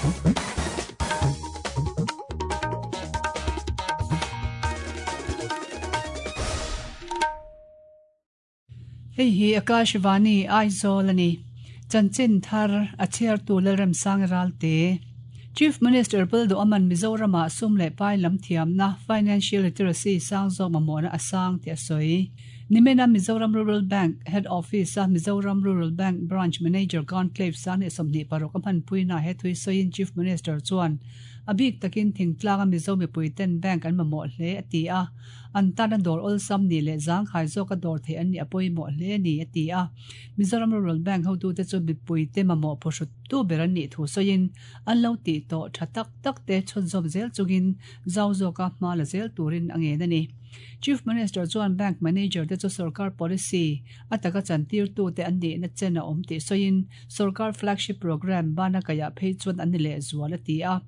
Hei hi Akashvani Aizawl a ni. Chanchin thar a chhiartu Lalremsang Ralte. Chief Minister Pulduaman Mizoramah sum leh pai lam thiamna, financial literacy, sang zawk mamawhna a sang tih a sawi. Nimena Mizoram Rural Bank Head Office-a Mizoram Rural Bank Branch Manager Conclave 2026 a hmanpuina he thui sawiin Chief Minister chuan a bik takin thingtlanga Mizo mipuiten bank an mamawh hle a ti a. An tana dawr awlsam nih leh zangkhai zawka dawr theih an nih a pawimawh hle a ni, a ti a. Mizoram Rural Bank hotute chu mipuite mamawh phuhruttu ber an nih thu sawiin an lo tih tawh tha tak tak te chhunzawm zel chungin zau zawka hma la zel turin a ngen a ni. Chief Minister chuan Bank Manager te chu sorkar policy a taka chantirtute an nihna chen a awm tih sawiin sorkar flagship programme bana kaihah phei chuan an ni lehzual a ti a.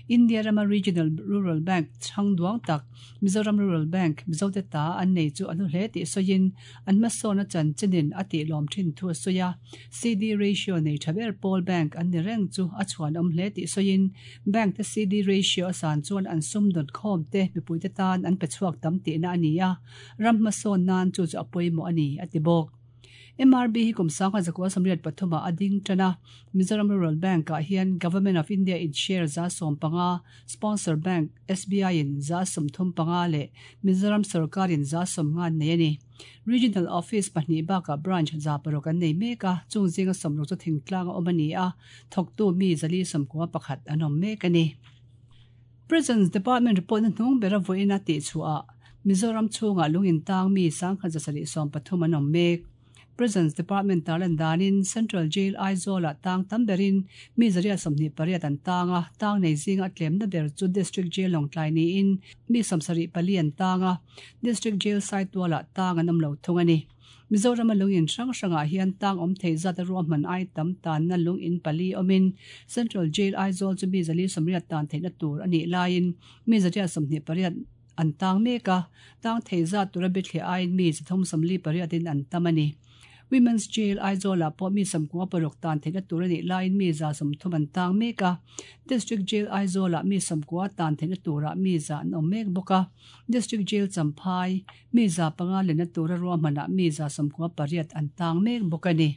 India rama Regional Rural Bank chhang duang tak Mizoram Rural Bank Mizote ta an nei chu a hnu hle tih sawiin an hmasawn a chanchinin a tihlawm thin thu a sawi a. CD ratio nei tha ber pawl bank an ni reng chu a chhuanawm hle tih sawiin bank te CD ratio a san chuan an sum dawn khawm te mipuite tan an pe chhuak tam tihna a ni a, ram hmasawn nan chu chu a pawimawh a ni, a ti bawk. MRB hi kum 1983 ah a ding tan a, Mizoram Rural Bank ah hian Government of India in share 15%, Sponsor Bank SBI in 35% leh Mizoram sorkar in 90% an nei a ni. Regional Office pahnih bakah Branch 600 an nei mek a, chung zinga 60 chu thingtlang a awm a ni a, thawktu mi 491 an awm mek a ni. Prisons Department report na hnung bera vawiin a tihchhuah ah Mizoram chhungah lung intang mi 1773 an awm mek. Prisons Department tarlan danin Central Jail Aizawl ah tang tam berin mi 128 an tang a, tang nei zinga a tlemna ber chu District Jail Lawngtlai niin mi 74 an tang a, District Jail Saitual ah tang an awm lo thung a ni. Mizorama lung in hrang hrangah hian tang awm thei zat a ruahman ai tam tanna lung in pali awmin Central Jail Aizawl chu mi 480 tan theihna tur a nih laiin mi 128 an tang mek a, tang thei zat tura bithliah aiin mi 348 in an tam a ni. Women's Jail Aizawl ah pawh mi 96 tan theihna tur a nih laiin mi 130 an tang mek a, District Jail Aizawl ah mi 90 tan theihna turah mi 100 an awm mek bawk a, District Jail Champhai, mi 500 lenna tura ruahmanah mi 98 an tang mek bawk a ni.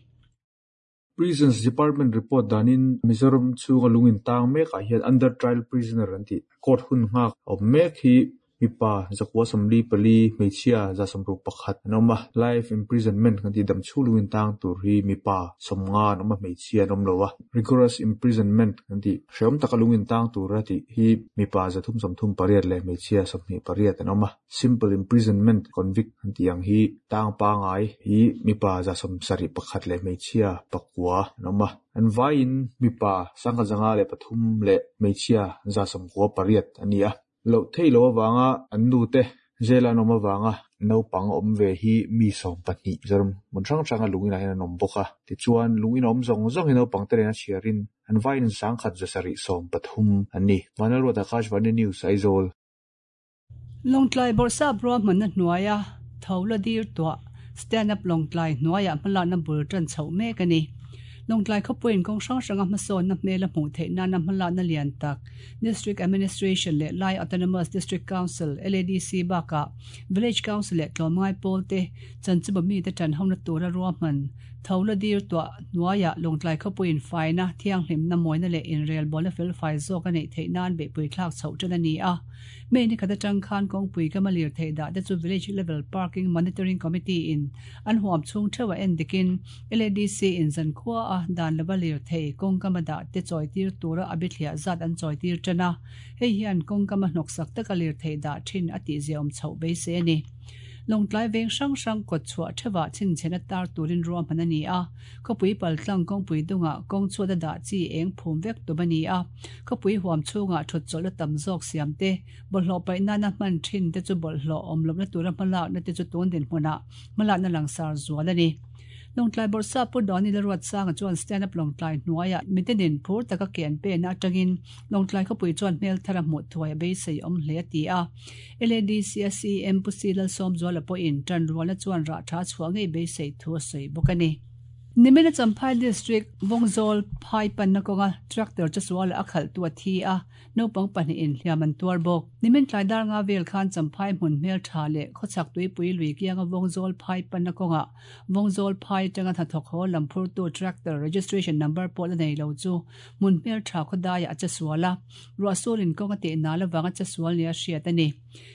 Prisons Department report danin Mizoram chhunga lung intang mekah hian under trial prisoner an tih court hun nghak a awm mek hi mipa 144, hmeichhia 161 an awm a. Life imprisonment kan tih dam chhung lung intang tur hi mipa 50 an awm a, hmeichhia an awm lo a. Rigorous imprisonment kan tih hrehawm taka lung intang tura tih hi mipa 338 leh hmeichhia 28 an awm a. Simple imprisonment convict an tih ang hi tang pangai hi mipa 71 leh hmeichhia pakua an awm a. An vaiin mipa 1,503 leh hmeichhia 98 an ni a. Loh theih loh avanga an nute jail an awm avanga naupang awm ve hi mi 12 Mizoram hmun hrang hranga lung inah hian an awm bawk a. Tichuan lung in awm zawng zawng hi naupang te nen a chhiarin an vaiin 1,713 an ni. Vanlalruata Akashvani News, Aizawl. Lawngtlai Bawrhsap ruahmanna hnuaia tho la dir tuah Stand Up Lawngtlai hnuaiah hmalakna bul tan chhoh mek a ni. Lawngtlai khawpuiin kawng hrang hranga hmasawnna hmel a hmuh theih nana hmalakna lian tak District Administration leh Lai Autonomous District Council, LADC, bakah Village Council leh tlawmngai pawlte chanchimawh mite tanhona tura ruahman tho la dir tuah hnuaiah Lawngtlai khawpuiin faina, thianghlimna, mawina leh inrelbawlna felfai zawk a neih theih nan beihpui thlak chhoh tan a ni a. May ni khat atang khan kawngpui kama lirthei dah te chu Village Level Parking Monitoring Committee in an huam chhung theuh a en dikin LADC in zankhua a dan lova lirthei kawngkama dah te chawitir tura a bithliah zat an chawitir tan a, hei hian kawngkama hnawksak taka lirthei dah thin a tihziaawm chhoh beisei a ni. Lawngtlai veng hrang hrang kawt chhuah theuhah chhinchhen a tar turin ruahman a ni a. Khawpui paltlang kawngpui dungah kawng chhuat a dah chi eng phum vek tum a ni a, khawpui huam chhungah thut chawlhna tam zawk siam te, bawlhhlawh paih nana hman thin te chu bawlhhlawh awm lohna tura hmalakna te chu tun dinhmunah hmalakna langsar zual a ni. Lawngtlai Bawrhsap Pu Dawni Lalruatsanga chuan Stand Up Lawngtlai hnuaiah mitenin phur taka ke an pena atangin Lawngtlai khawpui chuan hmel thar a hmuh thuai a beisei awm hle a ti a. LADC a CM Pu Si Lalsawmzuala pawhin ṭanrualna chuan rah ṭha chhuah ngei beisei thu a sawi bawk a ni. Nimina Champhai District Vawngzawl phai panna kawnga tractor chesuala a khalhtu a thi a, naupang pahnihin hliam an tuar bawk. Nimin tlai dar nga vel khan Champhai hmun hmel tha leh khawchhak tuipui lui kianga Vawngzawl phai panna kawngah Vawngzawl phai atanga hnathawk haw lam phurtu tractor registration number pawh la nei lo chu hmun hmel tha khawdaiah a chesual a, ruahsurin kawng a tih nal avanga chesual nia hriat a ni.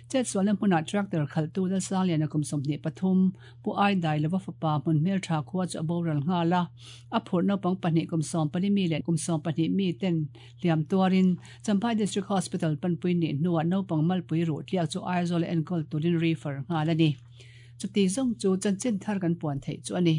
Chetsualna hmunah tractor khalhtu Lalsangliana kum 23, Pu Aidai lova fapa hmun hmeltha khua chu a boral nghal a, a phurh naupang pahnih kum 14 mi leh kum 12 mi ten hliam tuarin Champhai District Hospital panpui nih hnuah naupang malpui ruh tliak chu Aizawl a enkawl turin refer nghal a ni. Chuti zawng chu chanchin thar kan puan theih chu a ni.